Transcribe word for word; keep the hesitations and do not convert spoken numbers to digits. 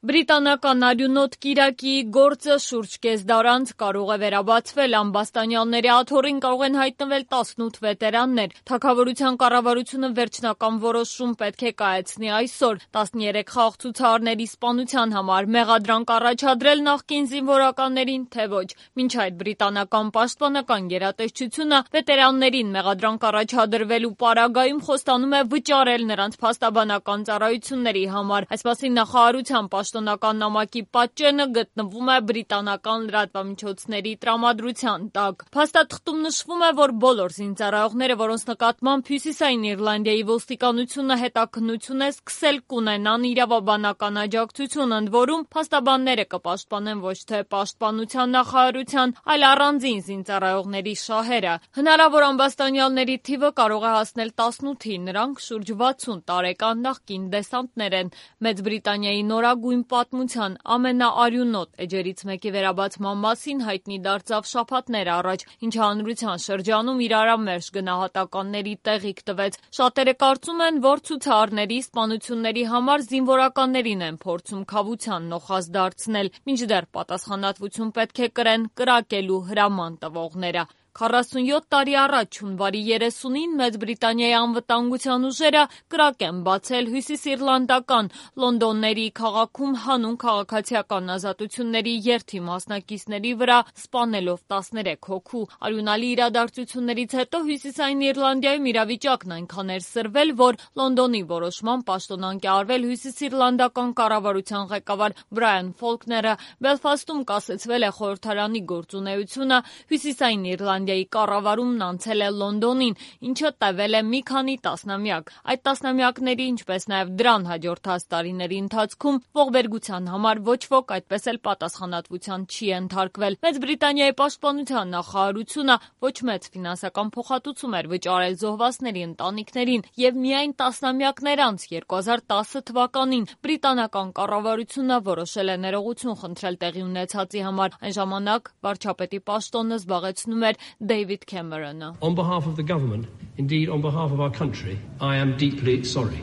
Բրիտանական արյունոտ կիրակի գործը շուրջ կես դար անց կարող է վերաբացվել, ամբաստանյալների աթոռին կարող են հայտնվել տասնութ վետերաններ։ Թագավորության կառավարությունը վերջնական որոշում պետք է կայացնի այսօր, տասներեք խաղ ցուցարարների սպանության համար մեղադրանք առաջադրել նախկին զինվորականներին, թե ոչ։ Մինչ այդ բրիտանական պաշտպանական գերատեսչությունը վետերաններին մեղադրանք առաջադրվելու պարագայում խոստանում է վճարել նրանց փաստաբանական ծառայությունների համար։ Այս մասին նախարարության պաշտոնական նամակի պատճենը գտնվում է բրիտանական լրատվամիջոցների տրամադրության տակ։ Փաստաթղթում նշվում է, որ բոլոր զինծառայողները, որոնց նկատմամբ Հյուսիսային Իռլանդիայի ոստիկանությունը հետաքննություն է սկսել, կունենան իրավաբանական աջակցություն, ընդ որում փաստաբանները կպաշտպանեն ոչ թե պաշտպանության նախարարության, այլ առանձին զինծառայողների շահերը։ Հնարավոր ամբաստանյալների թիվը կարող է հասնել տասնութի, նրանք շուրջ վաթսուն տարեկան նախկին դեսանտներ են։ Մեծ Բրիտանիայի նորագույն պատմության ամենաարյունոտ էջերից մեկի վերաբացման մասին հայտնի դարձավ շաբաթներ առաջ, ինչը հանրության շրջանում իրարամերժ գնահատականների տեղիք տվեց։ Շատերը կարծում են, որ ցուցարարների սպանությունների համար զինվորականներին են փորձում քավության նոխազ դարձնել, մինչդեռ պատասխանատվություն պետք է կրեն կրակելու հրաման տվողները։ քառասունյոթ տարի առաջ հունվարի երեսունին Մեծ Բրիտանիայի անվտանգության ուժերը կրակ են բացել հյուսիսիռլանդական Լոնդոնների քաղաքում հանուն քաղաքացիական ազատությունների երթի մասնակիցների վրա, սպանելով տասներեք հոգու։ Արյունալի իրադարձություններից հետո Հյուսիսային Իռլանդիայում իրավիճակն այնքան էր սրվել, որ Լոնդոնի որոշմամբ պաշտոնանկ է արվել հյուսիսիռլանդական կառավարության ղեկավար Բրայան Ֆոլքները։ Բելֆաստում կասեցվել է խորհրդարանի գործունեությունը, Հյուսիսային Իռլանդիայի կառավարումն անցել է Լոնդոնին, ինչը տևել է մի քանի տասնամյակ։ Այդ տասնամյակների, ինչպես նաև դրան հաջորդած տարիների ընթացքում ողբերգության համար ոչ ոք այդպես էլ պատասխանատվության չի ենթարկվել։ Մեծ Բրիտանիայի պաշտպանության նախարարությունը ոչ մեծ ֆինանսական փոխհատուցում էր վճարել զոհվածների ընտանիքներին, եւ միայն տասնամյակներ անց երկու հազար տասը թվականին բրիտանական կառավարությունը որոշել է ներողություն խնդրել տեղի ունեցածի համար։ Այն ժամանակ վարչապետի պաշտոնը զբաղեցնում էր Դեյվիդ Քեմերոնը։ On behalf of the government, indeed on behalf of our country, I am deeply sorry.